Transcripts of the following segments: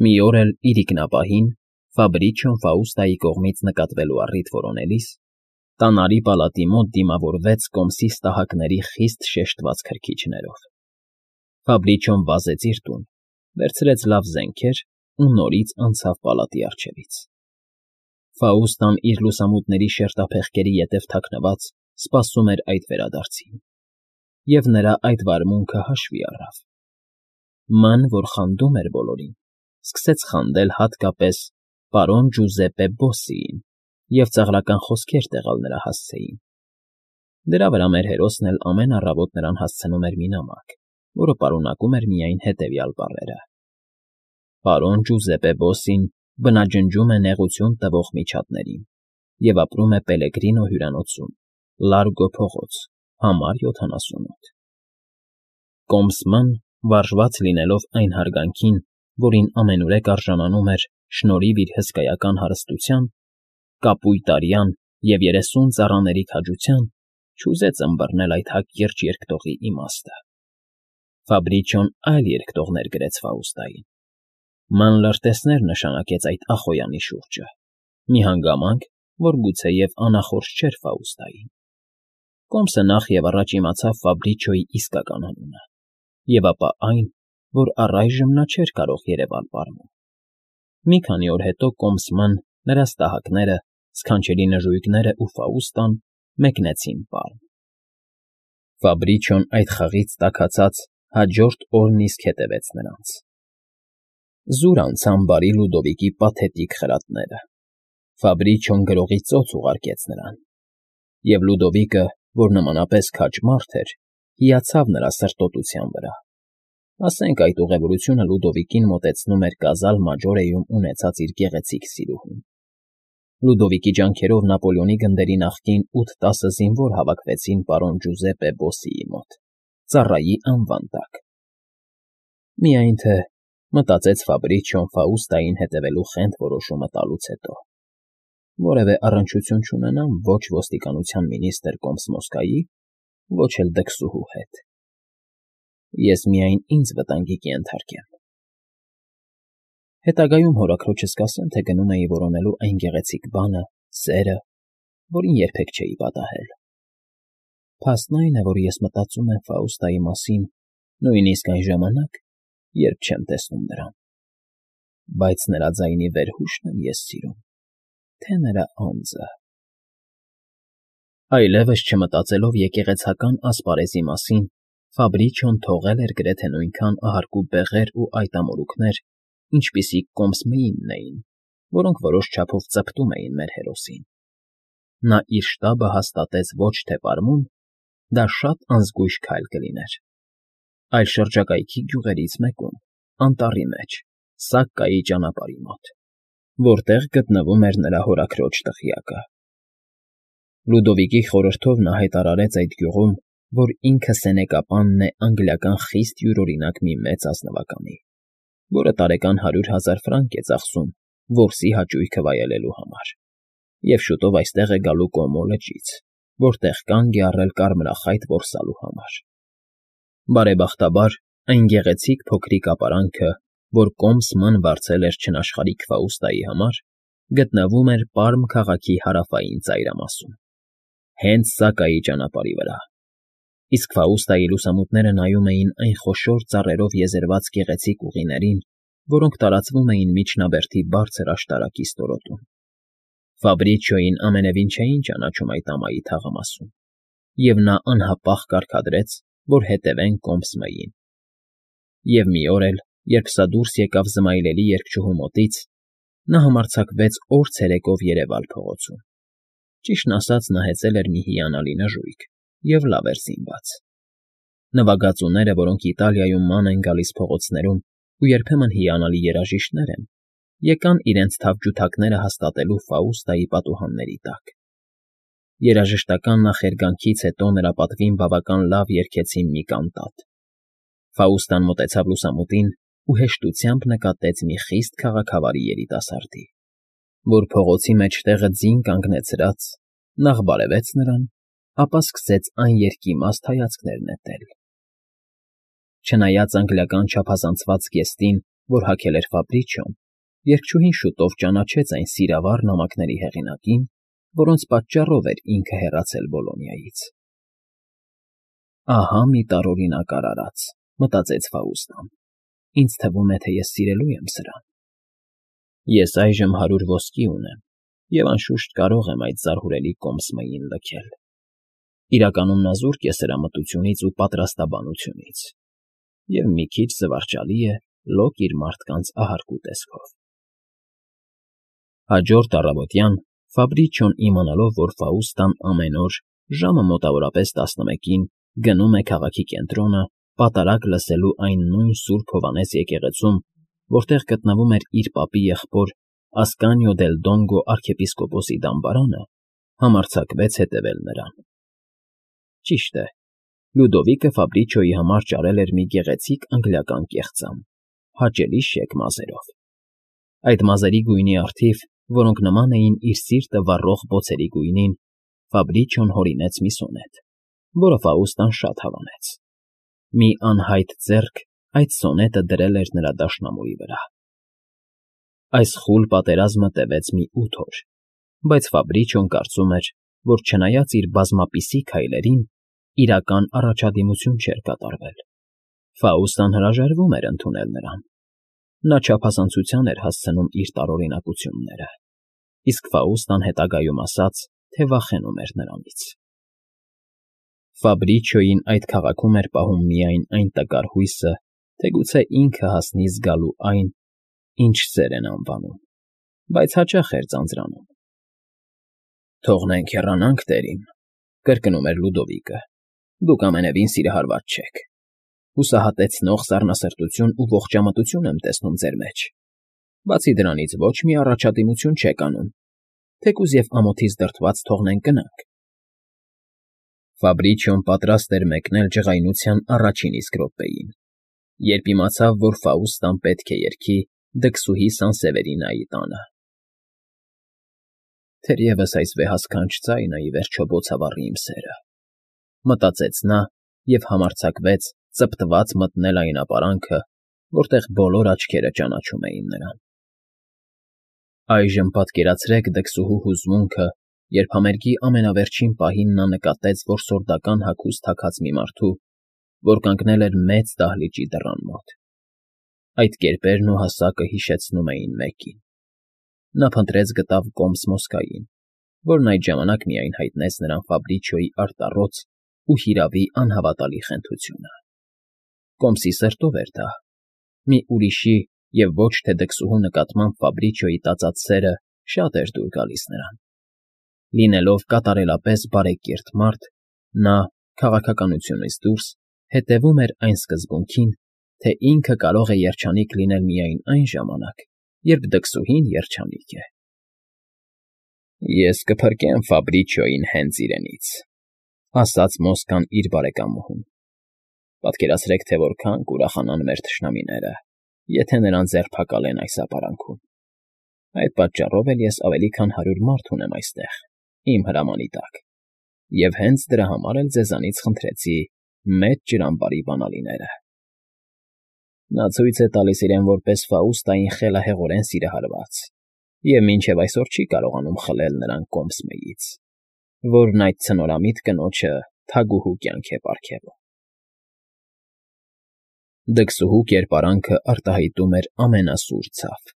Մի օր էլ իր ինքնապահին Ֆաբրիչոն Ֆաուստայի կողմից նկատվելու առիթ որոնելիս տանարի պալատի մոտ դիմավորվեց կոմսի ստահակների խիստ շեշտված քրքիջներով։ Ֆաբրիչոն վազեց իր տուն, վերցրեց լավ զենքեր ու նորից անցավ պալատի առջևից։ Ֆաուստան իր լուսամուտների շերտափեղկերի ետև թաքնված սպասում էր այդ վերադարձին, և նրա այդ վարմունքը հաշվի առավ։ Ման, որ խանդում էր բոլորին, սկսեց խանդել հատկապես պարոն Ջուզեպպե Բոսսիին և ծաղրական խոսքեր տեղալ նրա հասցեին։ Դրա վրա մեր հերոսն էլ ամեն առավոտ նրան հասցնում էր մի նամակ, որը պարունակում էր միայն հետևյալ բառերը. «Պարոն Ջուզեպպե Բոսսին բնաջնջում է նեղություն տվող միջատներին և ապրում է Պելեգրինո հյուրանոցում, Լարգո փողոց, համար 78»։ Կոմսման, վարժված լինելով այն հարգանքին, որին ամենուրեք արժանանում էր շնորհիվ իր հսկայական հարստության, կապույտ արյան և 30 ծառաների քաջության, չուզեց ըմբռնել այդ հակիրճ երկտողի իմաստը։ Ֆաբրիչոն այլ երկտողներ գրեց Ֆաուստային։ Ման լրտեսներ նշանակեց այդ ախոյանի շուրջը, մի հանգամանք, որ գուցեև անախորժ չէր Ֆաուստային։ Կոմսը նախ և առաջ իմացավ Ֆաբրիչոյի իսկական անունը, և ապա այն, որ առայժմ նա չէր կարող երևալ պարմուն։ Մի քանի օր հետո Կոմսման, նրա ստահակները, սքանչելի նժույգներն ու Ֆաուստան մեկնեցին Պարմ։ Ֆաբրիչոն այդ խաղից տաքացած հաջորդ օրն իսկ հետևեց նրանց։ Զուր անցան բարի Լուդովիկի պաթետիկ խրատները։ Ֆաբրիչոն գրողի ծոց ուղարկեց նրան, և Լուդովիկը, որ նմանապես քաջ մարդ էր, հիացավ նրա սրտոտության վրա։ Ասենք այդ ուղևորությունը Լուդովիկին մոտեցնում էր Կազալ Մաջորեում ունեցած իր գեղեցիկ սիրուհուն։ Լուդովիկի ջանքերով Նապոլեոնի գնդերի նախկին 8-10 զինվոր հավաքվեցին պարոն Ջուզեպպե Բոսսիի մոտ, ծառայի անվան տակ։ Միայն թե, մտածեց Ֆաբրիչոն Ֆաուստային հետևելու խենթ որոշումը տալուց հետո, որևէ առնչություն չունենամ ոչ ոստիկանության մինիստր Կոմսմոսկայի, ոչ էլ դքսուհու հետ։ Ես միայն ինձ վտանգի կենթարկեմ։ Հետագայում հորաքրոջս կասեմ, թե գնում էի որոնելու այն գեղեցիկ բանը, սերը, որին երբեք չէի պատահել։ Փաստն այն է, որ ես մտածում եմ Ֆաուստայի մասին նույնիսկ այն ժամանակ, երբ չեմ տեսնում նրան։ Բայց նրա ձայնի վերհուշն եմ ես սիրում, թե նրա անձը։ Այլևս չմտածելով եկեղեցական ասպարեզի մասին, Ֆաբրիչոն թողել էր գրեթե նույնքան ահարկու բեղեր ու այտամորուքներ, ինչպիսիք Կոմսմեինն էին, որոնք որոշ չափով ծպտում էին մեր հերոսին։ Նա իր շտաբը հաստատեց ոչ թե Պարմում, դա շատ անզգույշ քայլ կլիներ, այլ շրջակայքի գյուղերից մեկում, անտառի մեջ, Սակկայի ճանապարհի մոտ, որտեղ գտնվում էր նրա հորաքրոջ տղյակը։ Լուդովիկի խորհրդով նա հայտարարեց այդ գյուղում, որ ինքը սենեկապանն է անգլիական խիստ յուրօրինակ մի մեծ ազնվականի, որը տարեկան 100,000 ֆրանկ է ծախսում որսի հաճույքը վայելելու համար, և շուտով այստեղ է գալու Կոմո լճից, որտեղ կանգ է առել կարմրախայտ որսալու համար։ Բարեբախտաբար, այն գեղեցիկ փոքրիկ ապարանքը, որ Կոմսման վարձել էր չնաշխարհիկ Ֆաուստայի համար, գտնվում էր Պարմ քաղաքի հարավային ծայրամասում, հենց Սակկայի ճանապարհի վրա, իսկ Ֆաուստայի լուսամուտները նայում էին այն խոշոր ծառերով եզերված գեղեցիկ ուղիներին, որոնք տարածվում էին միջնաբերդի բարձր աշտարակի ստորոտում։ Ֆաբրիչոյին ամենևին չէին ճանաչում այդ ամայի թաղամասում, և նա անհապաղ կարգադրեց, որ հետևեն Կոմսմեին։ Եվ մի օր էլ, երբ սա դուրս եկավ զմայլելի երգչուհու մոտից, նա համարձակվեց օր ցերեկով երևալ փողոցում։ Ճիշտն ասած, նա հեծել էր մի հիանալի նժույգ և լավ էր զինված։ Նվագածուները, որոնք Իտալիայում ման են գալիս փողոցներում ու երբեմն հիանալի երաժիշտներ են, եկան իրենց թավջութակները հաստատելու Ֆաուստայի պատուհանների տակ։ Երաժշտական նախերգանքից հետո նրա պատվին բավական լավ երգեցին մի կանտատ։ Ֆաուստան մոտեցավ լուսամուտին ու հեշտությամբ նկատեց մի խիստ քաղաքավարի երիտասարդի, որ փողոցի մեջտեղը ձին կանգնեցրած, նախ բարևեց նրան, ապա սկսեց աներկիմաստ հայացքներ նետել։ Չնայած անգլիական չափազանցված զգեստին որ հագել էր Ֆաբրիչիոն, երգչուհին շուտով ճանաչեց այն սիրավառ նամակների հեղինակին, որոնց պատճառով էր ինքը հեռացել Բոլոնիայից։ «Ահա մի տարօրինակ արարած», մտածեց Ֆաուստան։ «Ինձ թվում է, թե ես սիրելու եմ սրան։ Ես այժմ 100 ոսկի ունեմ և անշուշտ կարող եմ այդ զարհուրելի կոմսմեին լքել։ Իրականում նա զուրկ է սրա մտությունից ու պատրաստաբանությունից, և մի քիչ զվարճալի է լոկ իր մարդկանց ահարկու տեսքով»։ Հաջորդ առավոտյան Ֆաբրիչիոն, իմանալով, որ Ֆաուստան ամեն օր ժամը մոտավորապես 11-ին գնում է քաղաքի կենտրոնը պատարագ լսելու այն նույն Սուրբ Հովհաննես եկեղեցում, որտեղ գտնվում էր իր պապի եղբոր Ասկանիո դել Դոնգո արքեպիսկոպոսի դամբարանը, համարձակվեց հետևել նրան։ Ճիշտ է, Լյուդովիկը Ֆաբրիչիոյի համար ճարել էր մի գեղեցիկ անգլիական կեղծամ, հաճելի շեկ մազերով։ Այդ մազերի գույնի առթիվ, որոնք նման էին իր սիրտը վառող բոցերի գույնին, Ֆաբրիչիոն հորինեց մի սոնետ, որը Ֆաուստան շատ հավանեց։ Մի անհայտ ձեռք այդ սոնետը դրել էր նրա դաշնամուրի վրա։ Այս խուլ պատերազմը տևեց մի 8 օր, բայց Ֆաբրիչիոն կարծում էր, որ չնայած իր բազմապիսի քայլերին, իրական առաջադիմություն չէր կատարվել։ Ֆաուստան հրաժարվում էր ընդունել նրան։ Նա չափազանցության էր հասցնում իր տարօրինակությունները, իսկ Ֆաուստան հետագայում ասաց, թե վախենում էր նրանից։ Ֆաբրիչիոյին այդ քաղաքում էր պահում միայն այն տկար հույսը, թե գուցե ինքը հասնի զգալու այն, ինչ սեր են անվանում, բայց հաճախ էր ձանձրանում։ «Թողնենք հեռանանք, տերիմ», կրկնում էր Լյուդովիկը։ «Դուք ամենևին սիրահարված չեք։ Հուսահատեցնող սառնասրտություն ու ողջամտություն եմ տեսնում ձեր մեջ։ Բացի դրանից ոչ մի առաջադիմություն չեք անում, թեկուզ և ամոթից դրդված թողնենք գնանք»։ Ֆաբրիչիոն պատրաստ էր մեկնել ջղայնության առաջին իսկ րոպեին, երբ իմացավ, որ Ֆաուստան պետք է երգի դքսուհի Սանսևերինայի տանը։ «Թերևս այս վեհասքանչ ձայնը ի վերջո բոցավառի իմ սերը», մտածեց նա և համարձակվեց ծպտված մտնել այն ապարանքը, որտեղ բոլոր աչքերը ճանաչում էին նրան։ Այժմ պատկերացրեք դքսուհու հուզմունքը, երբ համերգի ամենավերջին պահին նա նկատեց, որ սորդական հագուստ հագած մի մարդու, որ կանգնել էր մեծ դահլիճի դռան մոտ։ Այդ կերպերն ու հասակը հիշեցնում էին մեկին։ Նա փնտրեց գտավ կոմս Մոսկային, որն այդ ժամանակ միայն հայտնեց նրան Ֆաբրիչիոյի արտառոց ու հիրավի անհավատալի խենթությունը։ Կոմսի սրտով էր դա։ Մի ուրիշի և ոչ թե դքսուհու նկատմամբ Ֆաբրիչիոյի տածած սերը շատ էր դուր գալիս նրան։ Լինելով կատարելապես բարեկիրթ մարդ, նա, քաղաքականությունից դուրս, հետևում էր այն սկզբունքին, թե ինքը կարող է երջանիկ լինել միայն այն ժամանակ, երբ դքսուհին երջանիկ է։ «Ես կփրկեմ Ֆաբրիչիոյին հենց իրենից», ասաց Մոսկան իր բարեկամուհուն։ «Պատկերացրեք, թե որքան կուրախանան մեր թշնամիները, եթե նրան ձերբակալեն այս ապարանքում։ Այդ պատճառով էլ ես ավելի քան 100 մարդ ունեմ այստեղ, իմ հրամանի տակ, և հենց դրա համար էլ ձեզանից խնդրեցի մեծ ջրամբարի բանալիները»։ Նա ցույց է տալիս իրեն որպես Ֆաուստային խելահեղորեն սիրահարված և մինչև այսօր չի կարողանում խլել նրան կոմսմեից, որն այդ ցնորամիտ կնոջը թագուհու կյանք է պարգևում։ Դքսուհու կերպարանքը արտահայտում էր ամենասուր ցավ։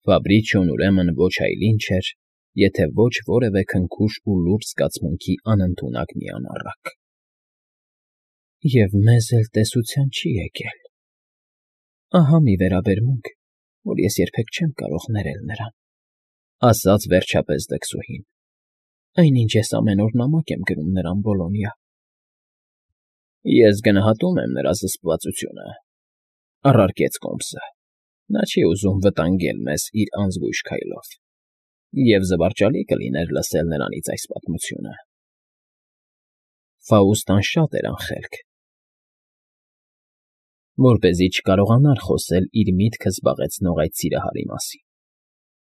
Ֆաբրիչիոն ուրեմն ոչ այլ ինչ էր, եթե ոչ որևէ քնքուշ ու լուրջ զգացմունքի անընդունակ մի անառակ։ «Եվ մեզ էլ տեսության չի եկել։ Ահա մի վերաբերմունք, որ ես երբեք չեմ կարող ներել նրան», ասաց վերջապես դքսուհին։ «Այնինչ ես ամեն օր նամակ եմ գրում նրան Բոլոնիա»։ «Ես գնահատում եմ նրա զսպվածությունը», առարկեց կոմսը։ «Նա չի ուզում վտանգել մեզ իր անզգույշ քայլով, և զվարճալի կլիներ լսել նրանից այս պատմությունը»։ Ֆաուստան շատ էր անխելք, որպեսզի չկարողանար խոսել իր միտքը զբաղեցնող այդ սիրահարի մասին։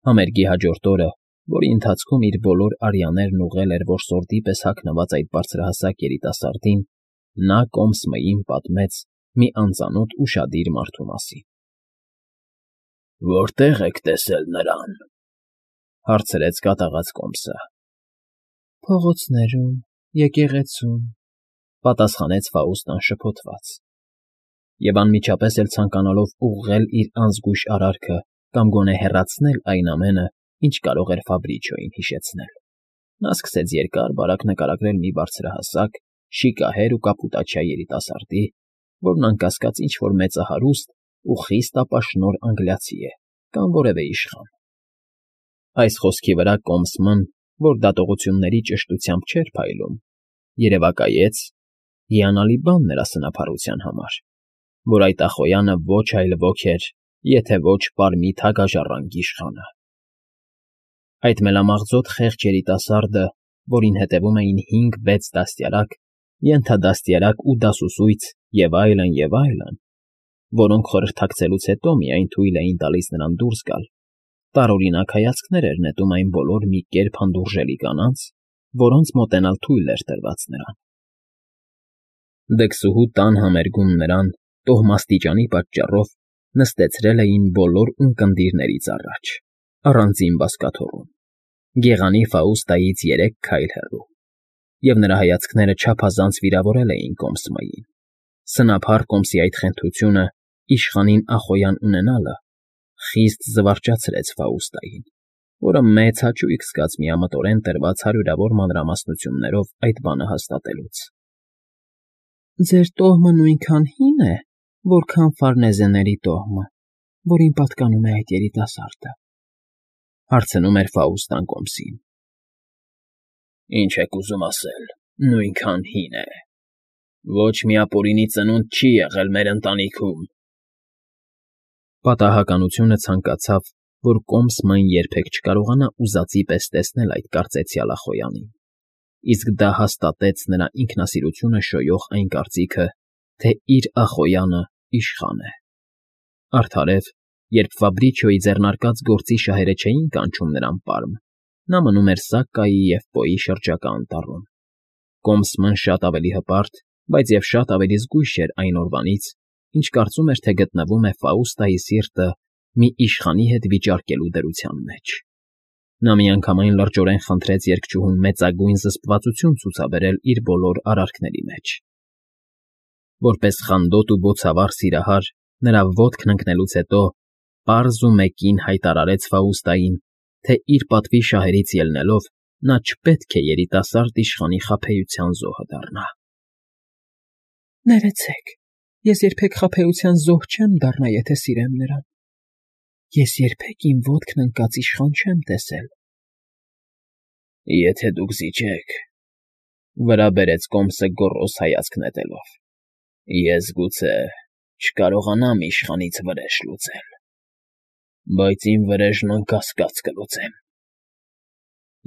Համերգի հաջորդ օրը, որի ընթացքում իր բոլոր արյաներն ուղղել էր որսորդի պես հագնված այդ բարձրահասակ երիտասարդին, նա կոմսմեին պատմեց մի անծանոթ ուշադիր մարդու մասին։ Որտե՞ղ եք տեսել նրան,֊ հարցրեց կատաղած կոմսը։ Փողոցներում, եկեղեցում,֊ պատասխանեց Ֆաուստն անշփոթված, և անմիջապես էլ ցանկանալով ուղղել իր անզգույշ արարքը կամ գոնե հեռացնել այն ամենը, ինչ կարող էր Ֆաբրիչոյին հիշեցնել, նա սկսեց երկար֊բարակ նկարագրել մի բարձրահասակ, շիկահեր ու կապուտաչյա երիտասարդի, որն անկասկած ինչ֊որ մեծահարուստ ու խիստ ապաշնորհ անգլիացի է կամ որևէ իշխան։ Այս խոսքի վրա կոմսմն, որ դատողությունների ճշտությամբ չէր փայլում, երևակայեց հիանալի բան նրա սնափառության համար, որ այդ ախոյանը ոչ այլ ոք էր, եթե ոչ Պարմի թագաժառանգ իշխանը։ Այդ մելամաղձոտ խեղճ երիտասարդը, որին հետևում էին 5-6 դաստիարակ, ենթադաստիարակ ու դասուսույց և այլն, որոնք խորհրդակցելուց հետո միայն թույլ էին տալիս նրան դուրս գալ, տարօրինակ հայացքներ էր նետում այն բոլոր մի կերպ հանդուրժելի կանանց, որոնց մոտենալ թույլ էր տրված նրան։ Դքսուհու տան համերգում նրան, տոհմաստիճանի պատճառով, նստեցրել էին բոլոր ունկնդիրներից առաջ, առանձին բազկաթոռում, գեղանի Ֆաուստայից 3 քայլ հեռու, և նրա հայացքները չափազանց վիրավորել էին կոմսմային։ Սնափառ կոմսի այդ խենթությունը, իշխանին ախոյան ունենալը, խիստ զվարճացրեց Ֆաուստային, որը մեծ հաճույք զգաց միամտորեն տրված հարյուրավոր մանրամասնություններով այդ բանը հաստատելուց։ Ձեր տոհմը նույնքան հի՞ն է, որքան Ֆարնեզեների տոհմը, որին պատկանում է այդ երիտասարդը,֊ հարցնում էր Ֆաուստն կոմսին։ Ինչ եք ուզում ասել, նույնքան հին է… Ոչ մի ապօրինի ծնունդ չի եղել մեր ընտանիքում… Պատահականությունը ցանկացավ, որ կոմսմն երբեք չկարողանա ուզածի պես տեսնել այդ կարծեցյալ ախոյանին, իսկ դա հաստատեց նրա ինքնասիրությունը շոյող այն կարծիքը, թե իր ախոյանը իշխան է։ Արդարև, երբ Ֆաբրիչոյի ձեռնարկած գործի շահերը չէին կանչում նրան Պարմ, նա մնում էր Սակկայի և Պոյի շրջակա անտառում։ Կոմսմն շատ ավելի հպարտ, բայց և շատ ավելի զգույշ էր այն օրվանից, ինչ կարծում էր, թե գտնվում է Ֆաուստայի սիրտը մի իշխանի հետ վիճարկելու դրության մեջ։ Նա միանգամայն լրջորեն խնդրեց երգչուհուն մեծագույն զսպվածություն ցուցաբերել իր բոլոր արարքների մեջ։ Որպես խանդոտ ու բոցավառ սիրահար, նրա ոտքն ընկնելուց հետո պարզ ու մեկին հայտարարեց Ֆաուստային, թե իր պատվի շահերից ելնելով նա չպետք է երիտասարդ իշխանի խաբեության զոհը դառնա։ Ներեցեք, ես երբեք խաբեության զոհ չեմ դառնա, եթե սիրեմ նրան։ Ես երբեք իմ ոտքն ընկած իշխան չեմ տեսել։ Եթե դուք զիջեք,֊ վրա բերեց կոմսը գոռոզ հայացք նետելով,֊ ես գուցե չկարողանամ իշխանից վրեժ լուծել, բայց իմ վրեժն անկասկած կլուծեմ…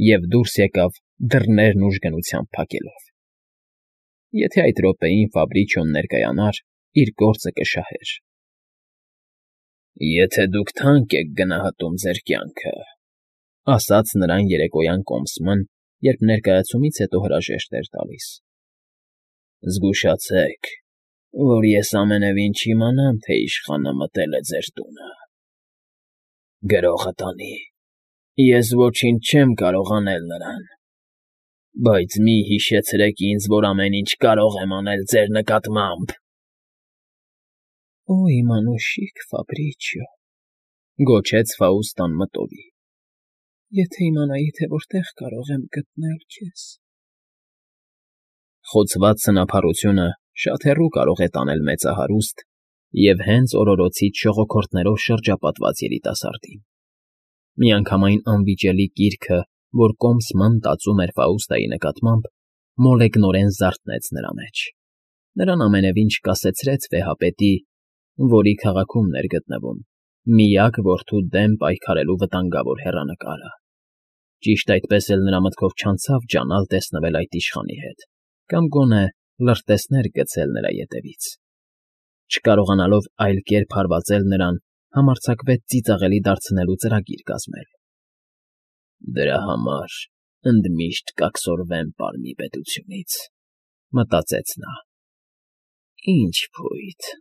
Եվ դուրս եկավ դռներն ուժգնությամբ փակելով։ Եթե այդ րոպեին Ֆաբրիչոն ներկայանար, իր գործը կշահեր։ Եթե դուք թանկ եք գնահատում ձեր կյանքը,֊ ասաց նրան երեկոյան կոմսմն, երբ ներկայացումից հետո հրաժեշտ էր տալիս,֊ զգուշացեք, որ ես ամենևին չիմանամ, թե իշխանը մտել է ձեր տունը… Գրողը տանի, ես ոչինչ չեմ կարող անել նրան, բայց մի հիշեցրեք ինձ, որ ամեն ինչ կարող եմ անել ձեր նկատմամբ… Օ, իմ անուշիկ Ֆաբրիչիո,֊ գոչեց Ֆաուստն մտովի,֊ եթե իմանայի, թե որտեղ կարող եմ գտնել քեզ… Խոցված սնափառությունը շատ հեռու կարող է տանել մեծահարուստ և հենց օրորոցից շողոքորթներով շրջապատված երիտասարդին։ Միանգամայն անվիճելի կիրքը, որ կոմսմն տածում էր Ֆաուստայի նկատմամբ, մոլեգնորեն զարթնեց նրա մեջ։ Նրան ամենևին չկասեցրեց վեհապետի, որի քաղաքումն էր գտնվում, միակ որդու դեմ պայքարելու վտանգավոր հեռանկարը։ Ճիշտ այդպես էլ նրա մտքով չանցավ ջանալ տեսնվել այդ իշխանի հետ կամ գոնե լրտեսներ գցել նրա ետևից։ Չկարողանալով այլ կերպ հարվածել նրան, համարձակվեց ծիծաղելի դարձնելու ծրագիր կազմել։ Դրա համար ընդմիշտ կաքսորվեմ Պարմի պետությունից, մտածեց նա։ Ինչ փույթ։